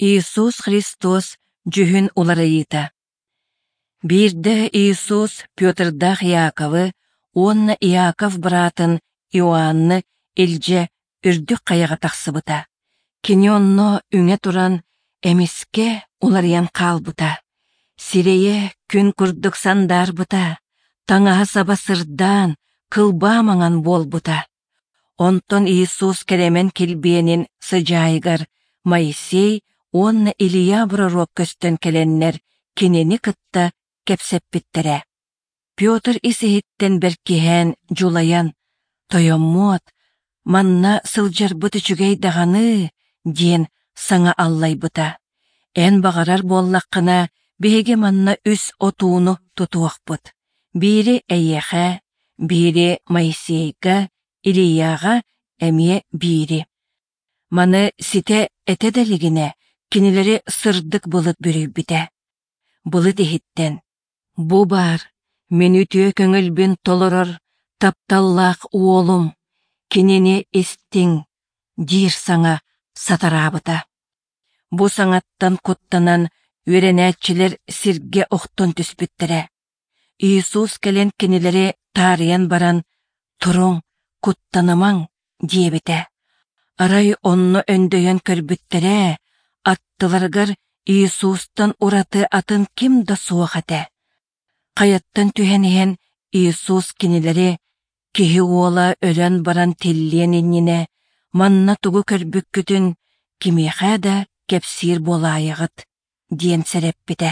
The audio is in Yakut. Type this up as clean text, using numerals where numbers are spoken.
Иисус Христос дьүһүн уларыйыыта. Биирдэ Иисус Петрдаах Иаковы уонна Иаков быраатын Иоанны илдьэ үрдүк хайаҕа тахсыбыта. Кини онно үҥэ туран эмискэ уларыйан хаалбыта. Сирэйэ күн курдук сандаарбыта, таҥаһа-саба сырдаан, кылбаа маҥан буолбута. Онтон Иисус кэрэмэн килбиэнин сыдьаайыгар Моисей уонна Илья пророк көстөн кэлэннэр кинини кытта кэпсэппиттэрэ. Петр ис-иһиттэн бэркиһээн, дьулайан, «Тойоммуот, манна сылдьарбыт үчүгэй даҕаны» диэн саҥа аллайбыта. «Эн баҕарар буоллаххына, биһиги манна үс отууну тутуохпут. Биири эйиэхэ, биири Моисейга, Илияҕа эмиэ биири. Маны ситэ этэ да илигинэ, кинилэри сырдык былыт бүрүйбүтэ. Былыт иһиттэн: «Бу баар, мин үтүө көҥүлбүн толорор тапталлаах уолум, кинини истиҥ» диир саҥа сатараабыта. Бу саҥаттан куттанан үөрэнээччилэр сиргэ охтон түспүттэрэ. Иисус кэлэн кинилэри таарыйан баран, «Туруҥ, куттанымаҥ!» диэбитэ. Арай онно өндөйөн көрбүттэрэ, аттыларыгар Иисустан ураты атын ким да суох этэ. Хайаттан түһэн иһэн Иисус кинилэри «Киһи уола өлөн баран тиллиэн иннинэ, манна тугу көрбүккүтүн кимиэхэ да кэпсиир буолаайаҕыт» диэн сэрэппитэ.